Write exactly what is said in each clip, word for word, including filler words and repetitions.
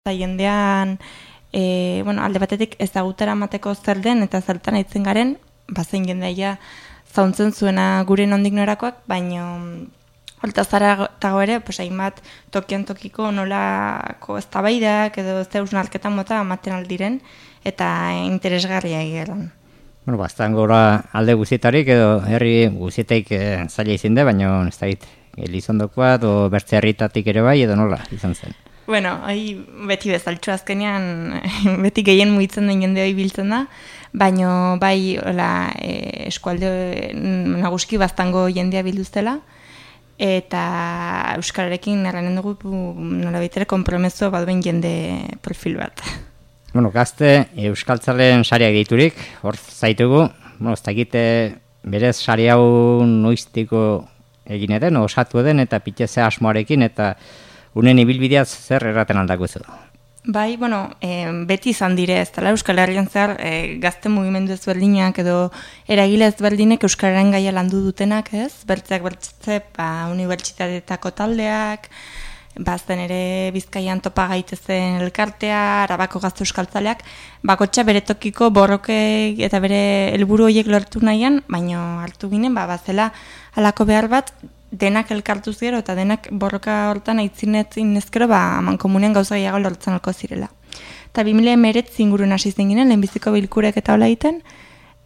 eta jendean e, bueno, alde batetik ezagutera mateko zer den eta zertan aitzen garen, bazen jendea zauntzen zuena gure nondik norakoak, baino holta zara tago ere, pues hainbat tokian tokiko nolako eztabaidak edo zeusnarketa mota ematen aldiren eta interesgarria egeran. Bueno, bastan gora alde guztietarik edo herri guztietaik e, zaila izin da, baina ez da hit, Elizondokoa edo bertze herritatik ere bai edo nola izan zen? Bueno, hoi beti bezaltxo azkenean, beti gehien mugitzen den jende hoi biltzen da, baina bai hola, e, eskualde naguski baztango jendea bilduztela, eta euskararekin erranen dugu nola baitere konpromezua baduen jende profil bat. Bueno, gazte euskaltzalen sariak diturik, hor zaitugu, bueno, ez dakite berez sari hau noiztiko egin eden, osatu eden, eta piteze asmoarekin, eta unen ibilbideaz zer erraten aldako zu? Bai, bueno, e, beti izan dire, ez dela Euskal Herrian zer e, gazte mugimendu ezberdinak edo eragile ezberdinek Euskararen gaia landu dutenak, ez? Bertzeak bertze, ba, unibertsitateetako taldeak, bazen ere Bizkaian topa gaitezen elkartea, Arabako gazte euskaltzaleak, bakotxa bere tokiko borroke eta bere helburu horiek lortu nahian, baina hartu ginen, ba, bazela halako behar bat, denak elkartuz gero eta denak borroka hortan aitzinetzin ezkero, ba, aman komunean gauza gehiago lortzen alko zirela. Eta bi mila hemeretzi inguruen hasi zen ginen, lehenbiziko bilkurek eta hola egiten,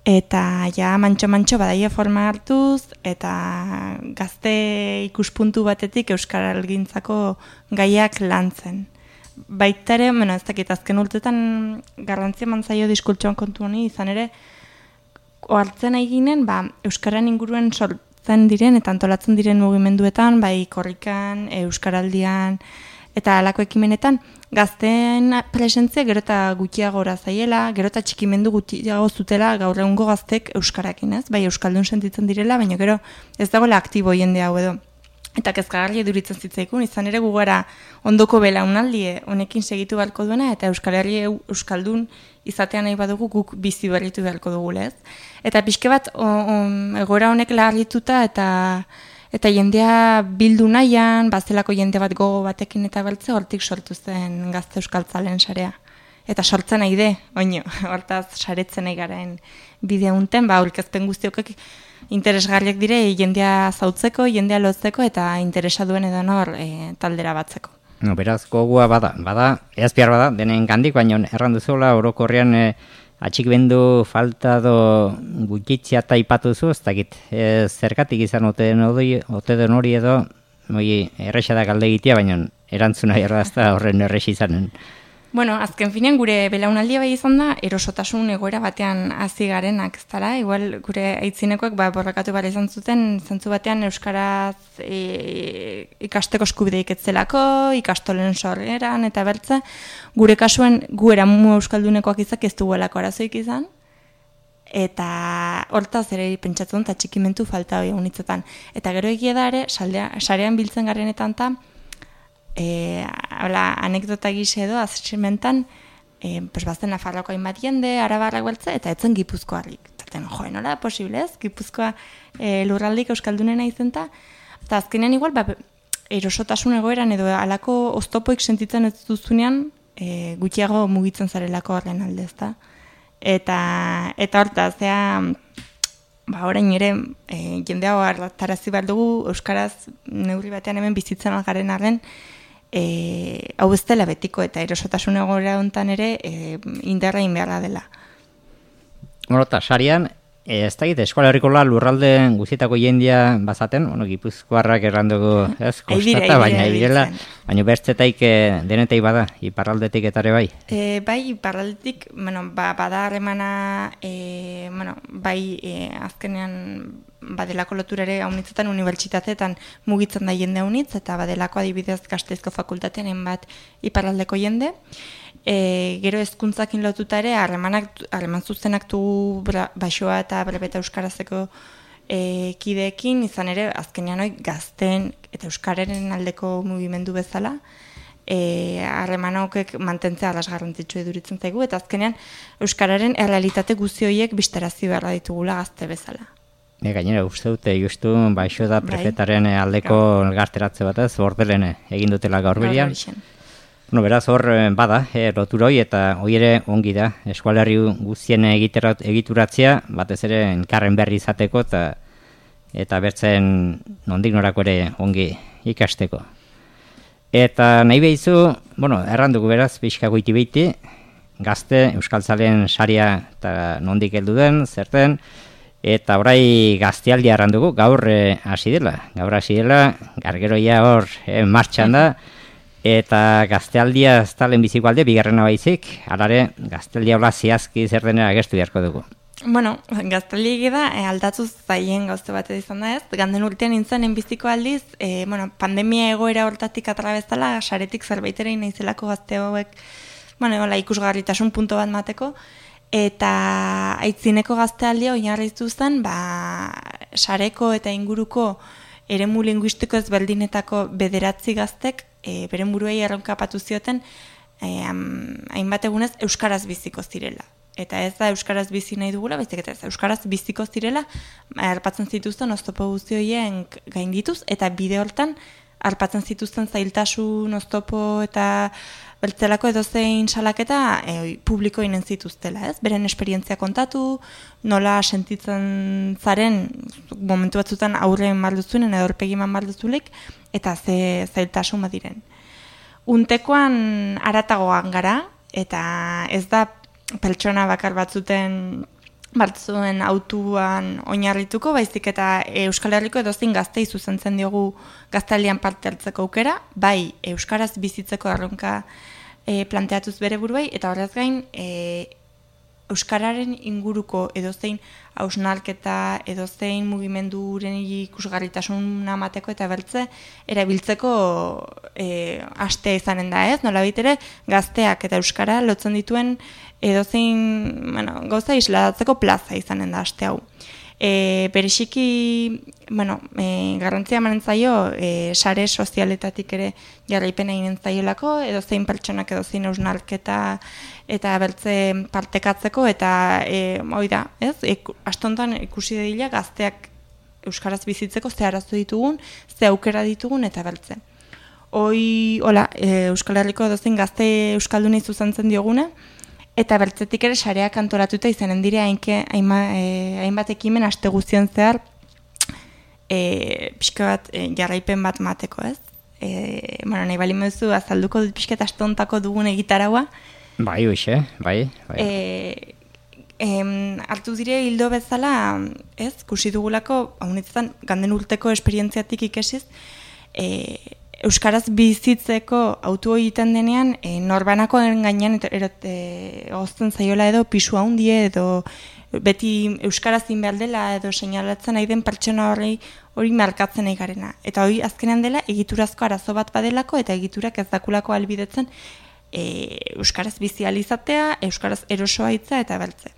eta ja mantxo-mantxo badaia forma hartuz, eta gazte ikuspuntu batetik euskaralgintzako gaiak lantzen. Baita ere, bueno, ez dakit, azken urtetan garrantzia mantzaio diskultxoan kontu honi, izan ere, ohartzen eginen, ba, euskaran inguruen sortzen diren eta antolatzen diren mugimenduetan, bai korrikan, euskaraldian, eta halako ekimenetan, gazteen presentzia gero eta gutxiago gora zaiela, gero eta txikimendu gutxiago zutela gaur egungo gaztek euskarakin, ez? Bai, euskaldun sentitzen direla, baina gero ez dagoela aktibo jende hau edo. Eta kezkagarri eduritzen zitzaikun, izan ere gugara ondoko belaunaldie honekin segitu beharko duena, eta Euskal Herri euskaldun izatean nahi badugu guk bizi berritu beharko dugu, ez? Eta pixke bat, egoera honek lagarrituta eta eta jendea bildu nahian, bazelako jende bat gogo batekin eta bertze, hortik sortu zen gazte euskaltzalen sarea. Eta sortzen nahi de, oino, hortaz saretzen nahi garen bidea unten, ba, aurkezpen guztiokek interesgarriak dire jendea zautzeko, jendea lotzeko eta interesa duen edo nor e, taldera batzeko. No, beraz, gogua bada, bada, eazpiar bada, denen gandik, baina erran duzuela orokorrean e, atxikbendu falta do gutxitzia eta ipatuzu, ez dakit, e, zergatik izan ote den hori, ote den hori edo, moi, errexadak alde egitea, baina erantzuna errazta horren errexi izanen. Bueno, azken finean gure belaunaldia bai izan da, erosotasun egoera batean hasi garenak, ez dara, igual gure aitzinekoek ba, borrakatu bara izan zuten, zentzu batean euskaraz e, ikasteko eskubideik etzelako, ikastolen sorgeran eta bertze, gure kasuen gu eramu euskaldunekoak izak ez duguelako arazoik izan, eta hortaz ere pentsatzen eta txikimentu falta hori unitzetan. Eta gero egia da ere, saldea, sarean biltzen garenetan eta, E, hola, anekdota gise edo, azximentan, e, pues bazten Nafarroako hainbat jende, Arabarrak beltza, eta etzen Gipuzkoarrik. Zaten, joe, nola da posible ez? Gipuzkoa e, lurraldik euskaldunena izenta, eta azkenean igual, ba, erosotasun egoeran edo alako oztopoik sentitzen ez duzunean, e, gutxiago mugitzen zarelako horren alde, ezta? Eta, eta hortaz, zea, ba, orain ere, e, jende hau hartarazi behar dugu, euskaraz neurri batean hemen bizitzen algaren arren, E, hau ez dela betiko eta erosotasun egoera hontan ere e, indarra inbeharra dela. Bueno, eta sarian, e, ez da egite, Eskola Herrikola lurralde guztietako jendia bazaten, bueno, Gipuzkoarrak errandugu, ez, kostata, baina direla, baina bertzetaik e, denetai bada, iparraldetik etare bai? E, bai, iparraldetik, bueno, ba, bada harremana, e, bueno, bai, e, azkenean, badelako loturare haunitzetan unibertsitateetan mugitzen da jende haunitz, eta badelako adibidez Gasteizko fakultatean hainbat iparraldeko jende. E, gero hezkuntzakin lotuta ere, harremanak, harreman zuzenak du baixoa eta brebeta euskarazeko e, kideekin, izan ere, azkenean hori gazten eta euskararen aldeko mugimendu bezala, e, harremanokek mantentzea arras garrantzitsu eduritzen zaigu, eta azkenean euskararen errealitate guzti horiek bistarazi beharra ditugula gazte bezala. Ne, gainera, uste dute, justu, baixo da prefetaren aldeko elgarteratze batez, bordelen egin dutela gaur berian. No, beraz hor bada, e, loturoi eta hori ere ongi da, eskualerri guztien egituratzea, batez ere enkarren berri izateko eta eta bertzen nondik norako ere ongi ikasteko. Eta nahi behizu, bueno, errandugu beraz, pixka goiti behiti, gazte, Euskaltzalen saria eta nondik heldu den, zerten, eta orai gaztealdia errandugu, gaur hasi dela, gaur hasi dela, gargeroia hor e, martxan da, eta gaztealdia ez talen biziko alde, bigarrena baizik, alare gaztealdia hola zehazki zer denera agertu beharko dugu. Bueno, gaztealdia da, e, aldatuz zaien gauze bat izan da ez, ganden urtean nintzen biziko aldiz, e, bueno, pandemia egoera hortatik atrabezala, saretik zerbaitera inaizelako gazte hauek, bueno, hola, ikusgarritasun punto bat mateko, eta aitzineko gaztealdia oinarritu zen, ba, sareko eta inguruko eremu linguistiko ezberdinetako bederatzi gaztek, e, beren buruei erronka patu zioten, e, hainbat egunez euskaraz biziko zirela. Eta ez da euskaraz bizi nahi dugula, baizik eta ez euskaraz biziko zirela, arpatzen zituzten oztopo guzti horien gaindituz, eta bide hortan arpatzen zituzten zailtasun, oztopo eta beltzelako edozein salaketa e, publiko inen zituztela, ez? Beren esperientzia kontatu, nola sentitzen zaren, momentu batzutan aurren marduzunen edo horpegiman marduzulik, eta ze zailtasun badiren. Untekoan aratagoan gara, eta ez da pertsona bakar batzuten batzuen autuan oinarrituko, baizik eta Euskal Herriko edozein gaztei zuzentzen diogu gaztealdian parte hartzeko aukera, bai euskaraz bizitzeko erronka e, planteatuz bere buruei, eta horrez gain e, euskararen inguruko edozein hausnarketa, edozein mugimenduren ikusgarritasun amateko eta bertze erabiltzeko e, astea izanen da ez, nolabait ere gazteak eta euskara lotzen dituen edozein, bueno, gauza isladatzeko plaza izanen da aste hau. E, bereziki, bueno, e, garrantzia emanen zaio, e, sare sozialetatik ere jarraipena eginen zaiolako, edozein pertsonak edozein hausnarketa eta bertze partekatzeko, eta e, hoi da, ez? E, astontan ikusi dira gazteak euskaraz bizitzeko ze arazo ditugun, ze aukera ditugun eta bertze. Hoi, hola, e, Euskal Herriko edozein gazte euskaldunei zuzentzen dioguna, eta bertzetik ere sareak antolatuta izanen dire hainke, hainba, e, hainbat ekimen aste guztien zehar e, pixka bat e, jarraipen bat mateko, ez? E, bueno, nahi bali mezu azalduko dut pixka eta aste hontako dugun egitaraua. Bai, hoxe, bai. bai. E, em, hartu dire hildo bezala, ez? Kusi dugulako, haunitzetan, ganden urteko esperientziatik ikesiz, e, euskaraz bizitzeko autu egiten denean, e, norbanakoen gainean e, gozten zaiola edo pisu handie edo beti euskaraz behar dela edo seinalatzen nahi den pertsona horri hori markatzen nahi garena. Eta hori azkenean dela egiturazko arazo bat badelako eta egiturak ez dakulako albidetzen e, euskaraz bizializatea, euskaraz erosoa hitza eta bertze.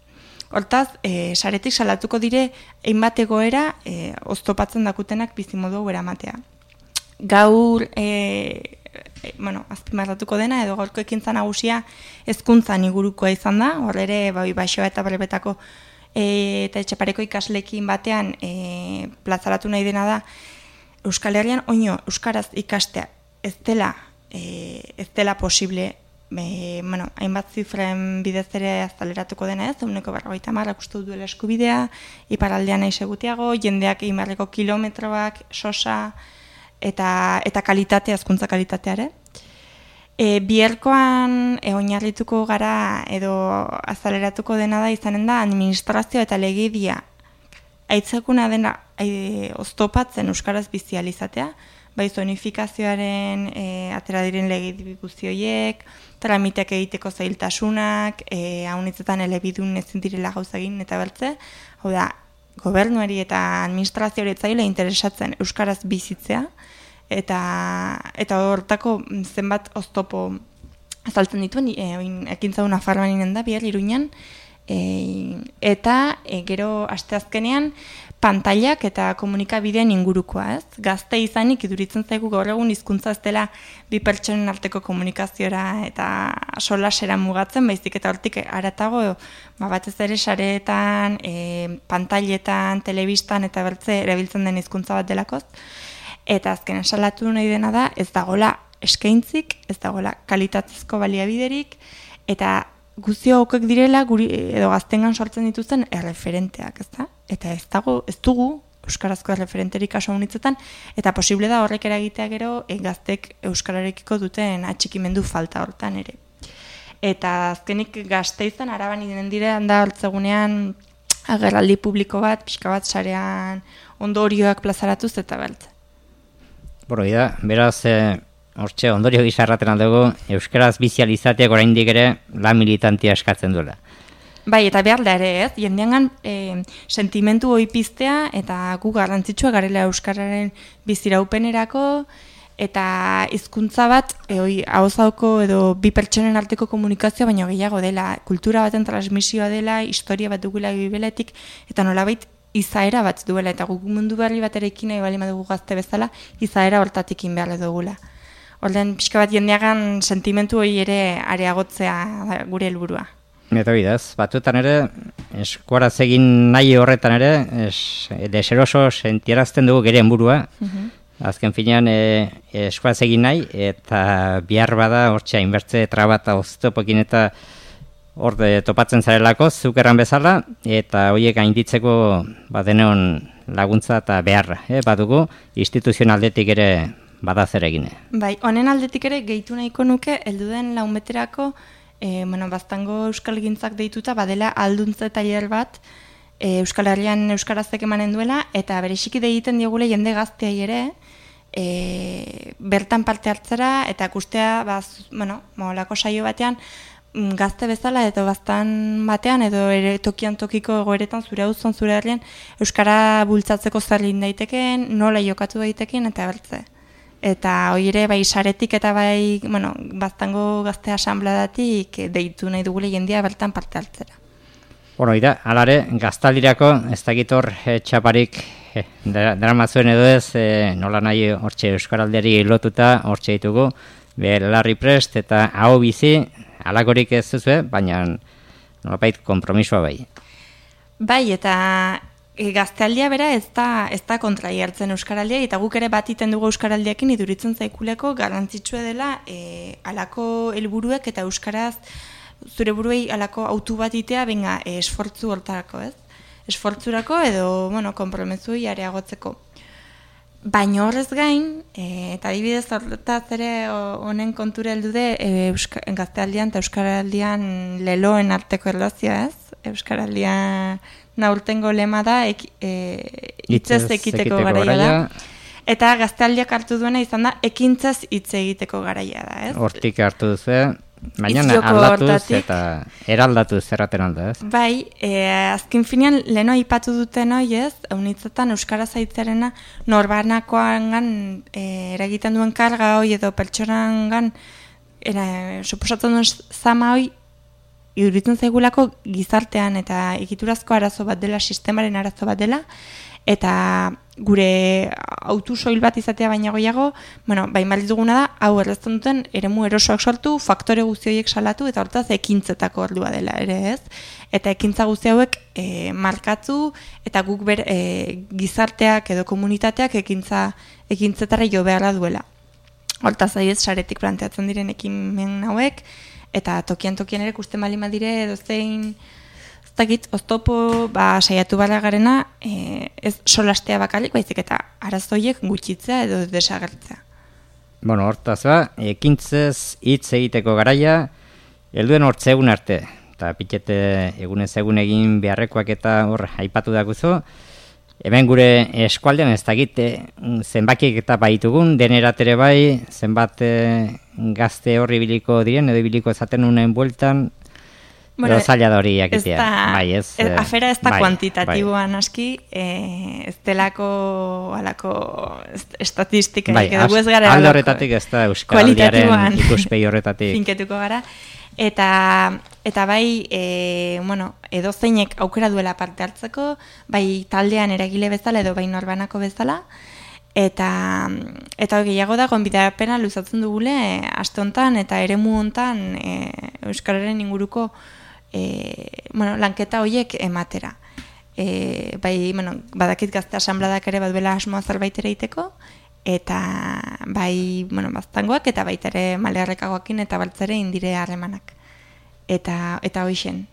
Hortaz, e, saretik salatuko dire hainbat egoera e, oztopatzen dakutenak bizimodu hau eramatea. Gaur, e, e, bueno, azpimarratuko dena, edo gaurko ekintza nagusia hezkuntzan ingurukoa izan da, hor ere, bai, Baixoa eta Barbetako e, eta Etxepareko ikaslekin batean e, plazaratu nahi dena da, Euskal Herrian, oino, euskaraz ikastea ez dela, e, ez dela posible, e, bueno, hainbat zifren bidez ere azaleratuko dena ez, eguneko berrogeita hamar uste duela eskubidea, iparraldean nahi segutiago, jendeak imarreko kilometroak, sosa, eta eta kalitatea, hezkuntza kalitateare. E, bierkoan e, oinarrituko gara edo azaleratuko dena da izanen da administrazio eta legedia aitzakuna dena e, oztopatzen euskaraz bizializatea, bai zonifikazioaren e, atera diren legedi guzti horiek, tramiteak egiteko zailtasunak, e, haunitzetan elebidun ezin direla gauza egin eta bertze, hau da, gobernuari eta administrazioari etzaile interesatzen euskaraz bizitzea, eta eta hortako zenbat oztopo azaltzen dituen, e, ekintza una farman inen da, bihar Iruñan, e, eta e, gero asteazkenean pantailak eta komunikabideen ingurukoa, ez? Gazte izanik iduritzen zaigu gaur egun hizkuntza ez dela bi pertsonen arteko komunikaziora eta solasera mugatzen, baizik eta hortik haratago ba, batez ere sareetan, e, pantailetan, telebistan eta bertze erabiltzen den hizkuntza bat delakoz. Eta azken salatu nahi dena da, ez dagola eskaintzik, ez dagoela kalitatezko baliabiderik, eta guztio okek direla guri, edo gaztengan sortzen dituzten erreferenteak, ez da? Eta ez dago, ez dugu euskarazko erreferenterik kasu honitzetan, eta posible da horrek eragitea gero e, gaztek euskararekiko duten atxikimendu falta hortan ere. Eta azkenik Gasteizen Araban inen direan da hartzegunean agerraldi publiko bat, pixka bat sarean ondorioak plazaratuz eta beltze. Boro, da, beraz, e, hortxe ondorio gizarraten aldugu, euskaraz bizializateak oraindik ere lan militantia eskatzen duela. Bai, eta behar da ere, ez? Jendeangan e, sentimentu hoi piztea, eta gu garrantzitsua garela euskararen biziraupenerako, eta hizkuntza bat, e, oi, ahozauko edo bi pertsonen arteko komunikazioa, baino gehiago dela, kultura baten transmisioa dela, historia bat dugula bibeletik, eta nolabait izaera bat duela, eta guk mundu berri bat ere ikin nahi bali madugu gazte bezala, izaera hortatik inbeharre dugula. Orden, pixka bat jendeagan sentimentu hori ere areagotzea gure helburua. Eta bidaz, batzuetan ere, eskuaraz egin nahi horretan ere, es, deseroso sentierazten dugu geren burua, uh-huh. Azken finean e, eskuaraz egin nahi, eta bihar bada hortxe hainbertze traba eta oztopokin eta hor topatzen zarelako, zuk erran bezala, eta horiek gainditzeko badeneon laguntza eta beharra, eh, badugu, instituzioen aldetik ere bada zer egine. Bai, honen aldetik ere gehitu nahiko nuke, helduden laumeterako, e, bueno, baztango euskalgintzak deituta, badela alduntze tailer bat, e, Euskal Herrian euskarazek emanen duela, eta bereziki deiten diogule jende gazteai ere, e, bertan parte hartzera, eta ikustea, baz, bueno, molako saio batean, gazte bezala edo baztan batean edo ere tokian tokiko egoeretan zure auzon zure herrian euskara bultzatzeko zer egin daitekeen, nola jokatu daitekeen eta bertze. Eta hori ere bai saretik eta bai, bueno, baztango gazte asanbladatik deitu nahi dugule jendia bertan parte hartzera. Bueno, ira, alare, gaztaldirako ez dakit hor e, txaparik e, dramazuen edo ez, e, nola nahi hortxe euskaraldiari lotuta hortxe ditugu, belarri prest eta hau bizi, alakorik ez zuzue, baina nolapait kompromisoa bai. Bai, eta e, gaztealdia bera ez da, ez da kontrai hartzen euskaraldia, eta guk ere bat iten dugu euskaraldiakin iduritzen zaikuleko garrantzitsua dela e, alako helburuek eta euskaraz zure buruei alako autu bat itea, benga, e, esfortzu hortarako, ez? Esfortzurako edo, bueno, kompromezuei areagotzeko. Baina horrez gain, e, eta adibidez horretaz ere honen kontura heldu de e, gaztealdian eta euskaraldian leloen arteko erlazioa, ez? Euskaraldian naurtengo lema da ek, e, hitzez ekiteko garaia da. Eta gaztealdiak hartu duena izan da ekintzez hitz egiteko garaia da, ez? Hortik hartu duzu, baina aldatuz eta eraldatuz zerraten alda, ez? Bai, e, azken finean leheno aipatu duten hoi, ez? Eunitzetan euskara zaitzarena norbanakoangan e, eragiten duen karga hoi edo pertsonangan era, suposatzen duen zama hoi iduritzen zaigulako gizartean eta egiturazko arazo bat dela, sistemaren arazo bat dela, eta gure autu soil bat izatea baina goiago, bueno, bain baliz duguna da, hau errezten duten eremu erosoak sortu, faktore guzti horiek salatu, eta hortaz ekintzetako ordua dela ere, ez? Eta ekintza guzti hauek e, markatu, eta guk ber, e, gizarteak edo komunitateak ekintza ekintzetara jo beharra duela. Hortaz aiz, saretik planteatzen diren ekimen hauek, eta tokian tokian ere ikusten bali madire edo zein dakit, oztopo ba, saiatu bara garena e, ez solastea bakalik, baizik eta arazoiek gutxitzea edo desagertzea. Bueno, hortaz ba, ekintzez hitz egiteko garaia, helduen hortzegun arte, eta pitete egunez egun egin beharrekoak eta hor aipatu dakuzu, hemen gure eskualdean ez dakit zenbakiek eta baitugun, deneratere bai, zenbat e, gazte horri biliko diren, edo biliko ezaten unen bueltan, bueno, zaila da hori jakitea. Bai, ez, ez, afera ez da bai, kuantitatiboan bai. Aski, e, ez delako alako estatistika. Bai, ez gara alde horretatik ez da euskaraldiaren ikuspegi horretatik. Finketuko gara. Eta, eta bai, e, bueno, edo zeinek aukera duela parte hartzeko, bai taldean eragile bezala edo bai norbanako bezala, eta eta gehiago da gonbidapena luzatzen dugule e, aste hontan eta eremu hontan e, euskararen inguruko e, bueno, lanketa horiek ematera. E, bai, bueno, badakit gazte asanbladak ere baduela asmoa zerbait ere iteko, eta bai, bueno, baztangoak eta baita ere malearrekagoakin eta baltzare indire harremanak. Eta eta hoixen.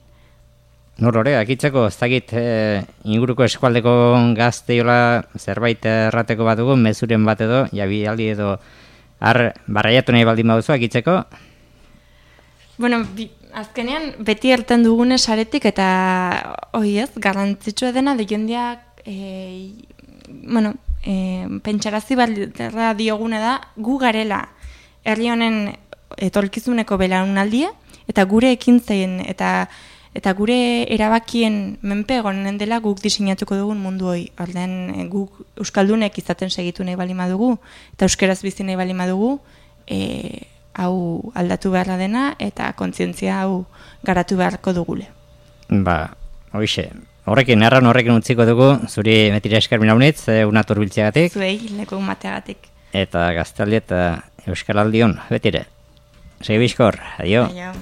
Nor hori, akitzeko, ez dakit e, inguruko eskualdeko gazteiola zerbait errateko bat dugu, mezuren bat edo, jabi aldi edo, har, barraiatu nahi baldin baduzu, akitzeko? Bueno, bi, azkenean, beti erten dugune saretik, eta, oi ez, garrantzitsua dena, de jendeak, e, bueno, e, pentsarazi balderra diogune da, gu garela, herri honen etorkizuneko belaunaldia, eta gure ekintzein, eta Eta gure erabakien menpe egonen dela guk diseinatuko dugun mundu hori. Ordean guk euskaldunek izaten segitu nahi bali madugu, eta euskeraz bizi nahi bali madugu, e, hau aldatu beharra dena, eta kontzientzia hau garatu beharko dugule. Ba, hoixe, horrekin, erran horrekin utziko dugu, zuri metira esker minaunitz, una turbiltzeagatik. Zuei, leku mateagatik. Eta gaztaldi eta euskaraldion, betire. Segi bizkor, adio. Aio.